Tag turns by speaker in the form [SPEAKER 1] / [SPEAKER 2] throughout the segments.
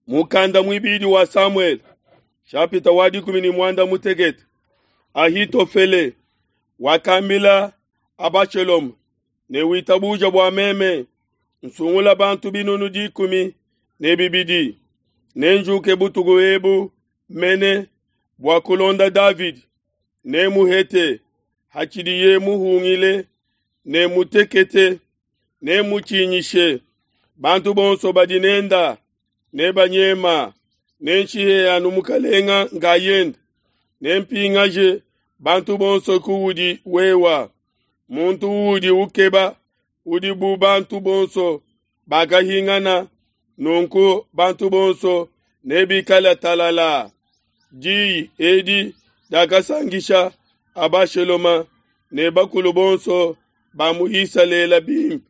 [SPEAKER 1] Mukanda muibidi wa Samuele, shapita wa dikumi ne muanda mutekete. Ahitofele wakambila Abashaloma ne witabuja bua meme nsungula bantu 200,000 nenjuke butuku ebu mene bua kulonda Davidi ne muhete hatshidiye muhungile ne mutekete ne mutshinyishe bantu bonso badi nenda ne banyema nenshihe anu mukalenga nkayende nempingaje bantu bonso kuudi wewa muntu uudi ukeba udi bu bantu bonso bakahingana nunku bantu bonso nebikale talala. Diyi edi diakasankisha Abashaloma ne bakulu bonso ba mu Isalele bimpe.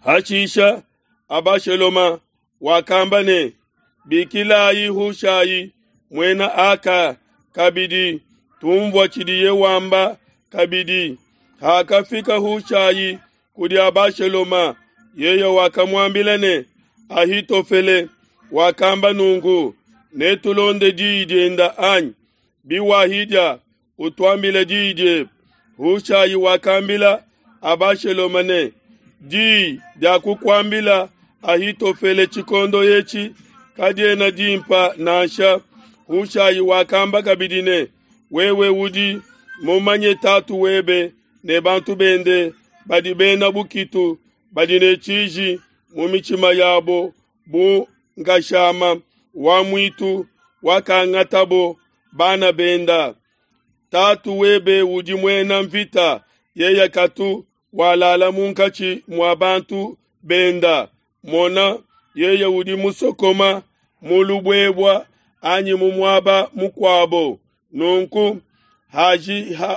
[SPEAKER 1] Hashisha Abashaloma wakamba ne, Bikilayi Hushai muena Aka kabidi, tumvua tshidiye wamba kabidi. Hakafika Hushai kudi Abashaloma, yeye wakamuambila ne, Ahitofele wakamba nunku, netulonde diyi dienda anyi? Biwahidia utuambile diyi diebe. Hushai wakambila Abashaloma ne, diyi dia kukuambila Ahitofele tshikondo etshi kadiena dimpa nansha. Hushai wakamba kabidi ne, wewe udi mumanye tatu webe ne bantu bende badi bena bukitu badi ne tshiji mu mitshima yabo bu nkashama wa muitu wakangatabo bana benda. Tatu webe udi muena mvita, yeye katu walala munkatshi mua bantu benda. Mona, yeye udi musokoma mu lubuebua anyi mu muaba mukuabo. Nunku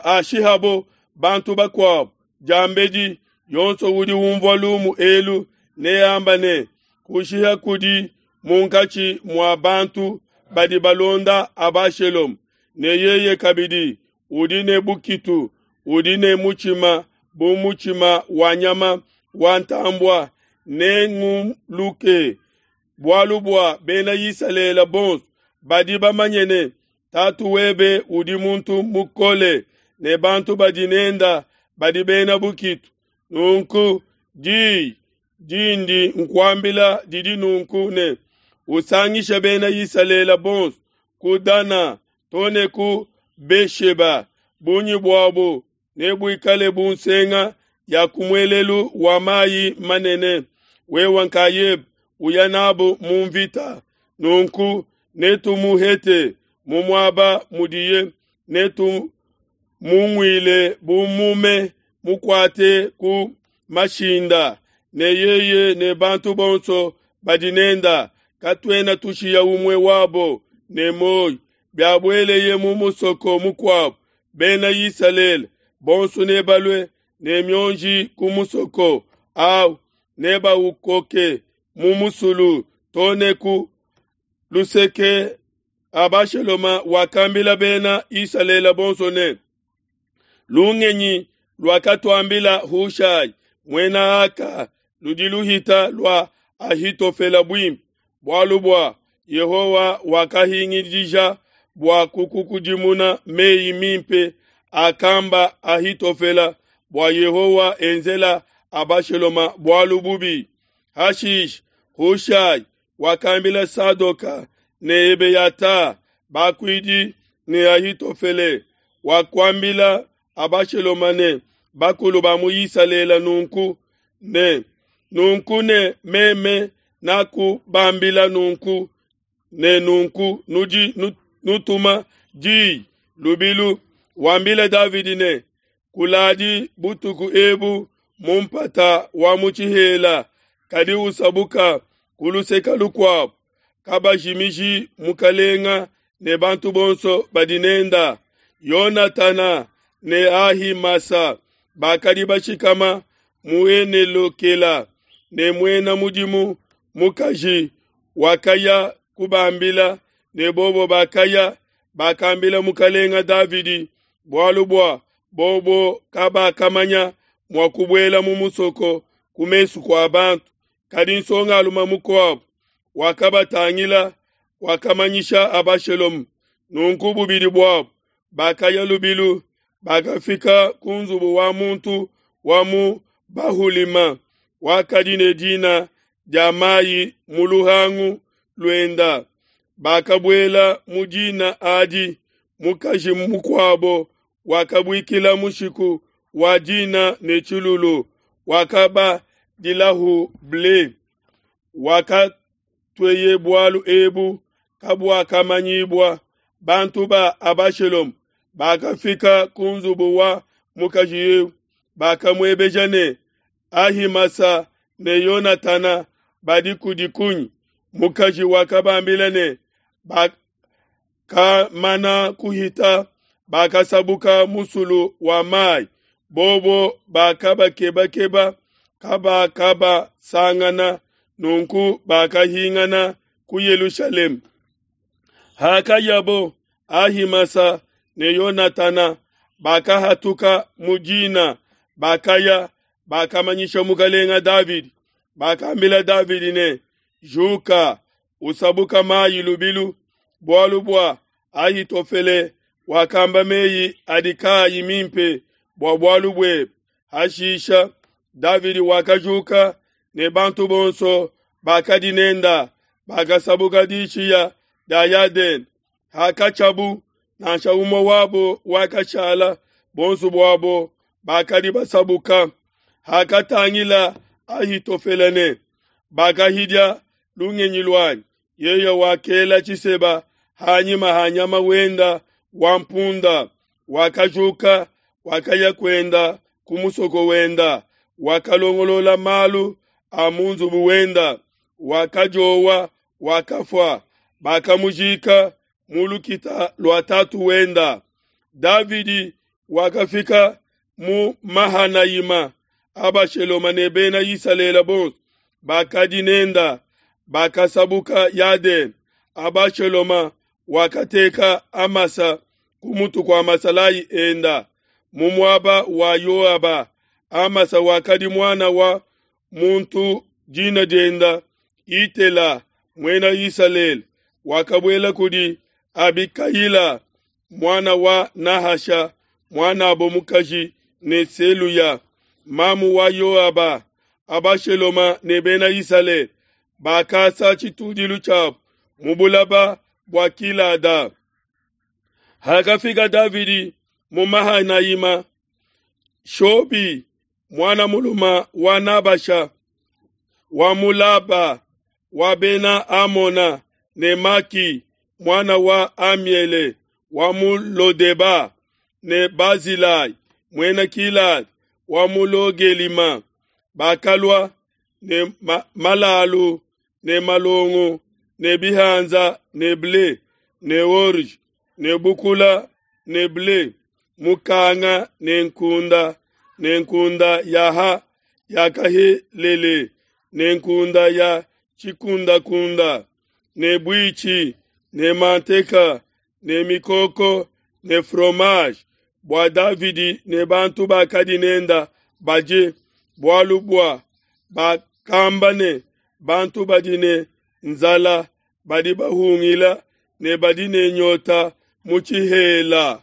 [SPEAKER 1] hashihabo bantu bakuabo diambedi, yonso udi umvua lumu elu neamba ne, kushiha kudi munkatshi mua bantu badi balonda Abashaloma, ne yeye kabidi udi ne bukitu, udi ne mutshima bu mutshima wa nyama wa ntambua, nenguluke. Bualu bua bena Isalele bonso badi bamanye ne, tatu webe udi muntu mukole, ne bantu badi nenda badi bena bukitu. Nunku diyi dindi nkuambila didi nunku ne, usangishe bena Isalele bonso ku Dana too ne ku Besheba, bungi buabo nebuikale bu nsenga ya ku muelelu wa mayi manene. Wewe nkayebe uya nabo mu mvita, nunku netumuhete mu muaba mudiye, netumunguile bu mume mukuate ku mashinda, ne yeye ne bantu bonso badi nenda, katuena tushiya umue wabo ne muoyo. Biabueleye mu musoko mukuabo, bena Isalele bonso nebalue ne mionji ku musoko awu, nebaukoke mu musulu too ne ku luseke. Abashaloma wakambila bena Isalele bonso ne, lungenyi luakatuambila Hushai muena Aka ludi luhita lua Ahitofele buimpe, bualu bua Yehowa wakahingidija bua kukukudimuna meyi mimpe akamba Ahitofele bua Yehowa enzela Abashaloma bualu bubi. Hashishe Hushai wakambila Sadoka ne Ebeyata bakuidi ne Ahitofele wakuambila Abashaloma ne bakulu ba mu Isalele nunku ne nunku ne meme nakubambila nunku ne nunku nudi nutuma diyi lubilu. Wambile Davidi ne, kuladi butuku ebu mu mpata wa mu tshihela, kadi usabuka ku luseke lukuabo, kabajimiji mukalenga ne bantu bonso badi nenda. Yonatana ne Ahimasa bakadi bashikama mu Enelokela, ne muena mudimu mukaji wakaya kubambila, ne bobo bakaya bakambila mukalenga Davidi, bualu bua bobo kabakamanya mua kubuela mu musoko ku mesu kua bantu. Kadi nsongalume mukuabo wakabatangila, wakamanyisha Abashaloma. Nunku bubidi buabo bakaya lubilu, bakafika ku nzubu wa muntu wa mu Bahulima, wakadi ne dina dia mayi mu luhangu luenda. Bakabuela mu dina adi, mukaji mukuabo wakabuikila mushiku wa dina ne tshilulu, wakabadilahu ble. Wakatueye bualu ebu kabuakamanyibua. Bantu ba Abashaloma bakafika ku nzubu wa mukaji eu, bakamuebeja ne, Ahimasa ne Yonatana badi kudi kunyi? Mukaji wakabambila ne, Bakamana kuhita, bakasabuka musulu wa mai, bobo bakabakebakeba, kabakabasangana, nunku bakahingana ku Yelushalema. Hakayabo, Ahimasa ne Yonatana bakahatuka mu dina, bakaya, bakamanyisha mukalenga Davidi. Bakambila Davidi ne, Juka, usabuka mayi lubilu, bualu bua Ahitofele wakamba meyi adi kaayi mimpe bua bualu buebe. Hashisha Davidi wakajuka ne bantu bonso bakadi nenda, bakasabuka dishiya dia Yadene. Hakatshiabu, nansha umue wabo wakashala, bonso buabo bakadi basabuka. Hakatangila Ahitofele ne bakahidia lungenyi luanyi, yeye wakela tshiseba hanyima ha nyama wenda wa mpunda, wakajuka, wakaya kuenda ku musoko wenda, wakalongolola malu a mu nzubu wenda, wakadiowa, wakafua, bakamujika mu lukita lua tatu wenda. Davidi wakafika mu Mahanayima, Abashaloma ne bena Isalele bonso bakadi nenda bakasabuka Yadene. Abashaloma wakateka Amasa ku mutu kua masalayi enda mu muaba wa Yoaba. Amasa wakadi muana wa muntu dina dienda Itela, muena Isalele, wakabuela kudi Abikayila muana wa Nahasha, muanabo mukaji ne Seluya, mamu wa Yoaba. Abashaloma ne bena Isalele bakasa tshitudilu tshiabo mu bulaba bua Kilada. Hakafika Davidi mu Mahanayima, Shobi muana mulume wa Nabasha wa mu Laba wa bena Amona ne Maki muana wa Amiele wa mu Lodeba ne Bazilai muena Kilada wa mu Logelima bakalua ne malalu ne malongo ne bihanza ne ble ne orge ne bukula ne ble mukanga ne nkunda ne nkunda ya ha yakahelele ne nkunda ya tshikundakunda ne buitshi ne manteka ne mikoko ne fromage bua Davidi ne bantu bakadi nenda badie, bualu bua bakamba ne, bantu badi ne nzala badi bahungila ne badi ne nyota mu tshihela.